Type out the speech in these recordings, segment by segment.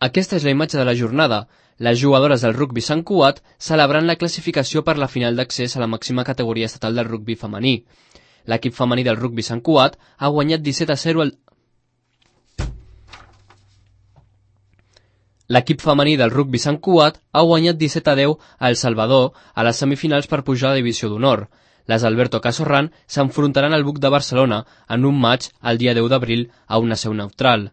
Aquesta és la imatge de la jornada. Les jugadores del rugbi Sant Cugat celebrant la classificació per la final d'accés a la màxima categoria estatal del rugbi femení. L'equip femení del rugbi Sant Cugat ha guanyat 17-0 L'equip femení del rugbi Sant Cugat ha guanyat 17-10 a El Salvador a les semifinals per pujar a la divisió d'honor. Les Alberto Casorran s'enfrontaran al Buc de Barcelona en un matx el dia 10 d'abril a una seu neutral.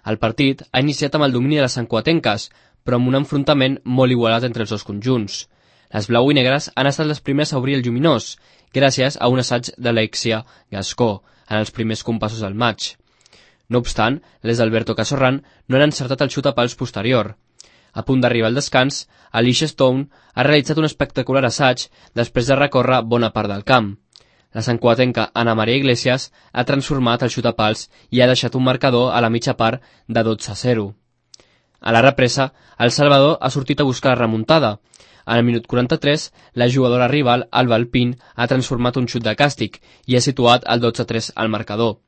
El partit ha iniciat amb el domini de les santcuatenques, però amb un enfrontament molt igualat entre els dos conjunts. Les blau i negres han estat les primeres a obrir el lluminós, gràcies a un assaig d'Alexia Gascó en els primers compassos del matx. No obstant, les d'Alberto Casorran no han encertat el xut a pals posterior. A punt d'arribar al descans, Alicia Stone ha realitzat un espectacular assaig després de recórrer bona part del camp. La santcuatenca Ana Maria Iglesias ha transformat el xut a pals i ha deixat un marcador a la mitja part de 12-0. A la represa, El Salvador ha sortit a buscar la remuntada. En el minut 43, la jugadora rival, Alba Alpín, ha transformat un xut de càstig i ha situat el 12-3 al marcador.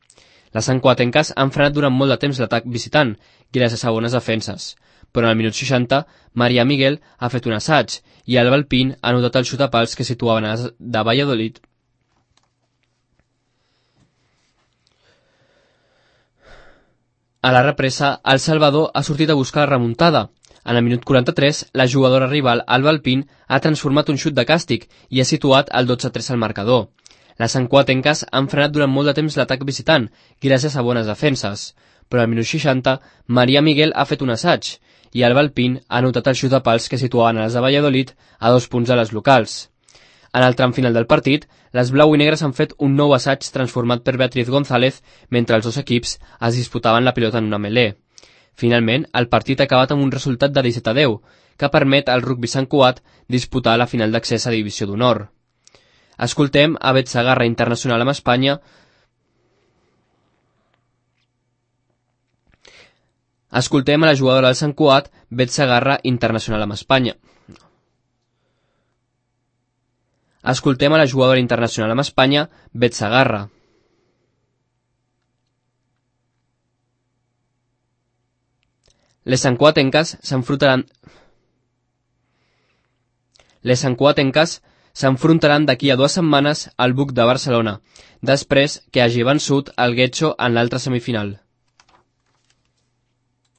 Les santcuatenques han frenat durant molt de temps l'atac visitant, gràcies a bones defenses. Però en el minut 60, Maria Miguel ha fet un assaig i Alba Alpín ha anotat el xut a pals que situaven de Valladolid. A la represa, El Salvador ha sortit a buscar la remuntada. En el minut 43, la jugadora rival Alba Alpín ha transformat un xut de càstig i ha situat el 12-3 al marcador. Les santcuatenques han frenat durant molt de temps l'atac visitant, gràcies a bones defenses. Però al minut 60, Maria Miguel ha fet un assaig i Alba Alpín ha anotat el xut a pals que situaven a les de Valladolid a 2 punts a les locals. En el tram final del partit, les blau i negres han fet un nou assaig transformat per Beatriz González mentre els dos equips es disputaven la pilota en una melé. Finalment, el partit ha acabat amb un resultat de 17-10, que permet al rugbi Sant Cugat disputar la final d'accés a divisió d'honor. Escoltem a Bet Segarra, internacional amb Espanya. Escoltem a la jugadora del Sant Cugat, Bet Segarra, internacional amb Espanya. Escoltem a la jugadora internacional amb Espanya, Bet Segarra. Les santcuatenques s'enfrontaran d'aquí a 2 setmanes al Buc de Barcelona, després que hagi vençut el Getxo en l'altra semifinal.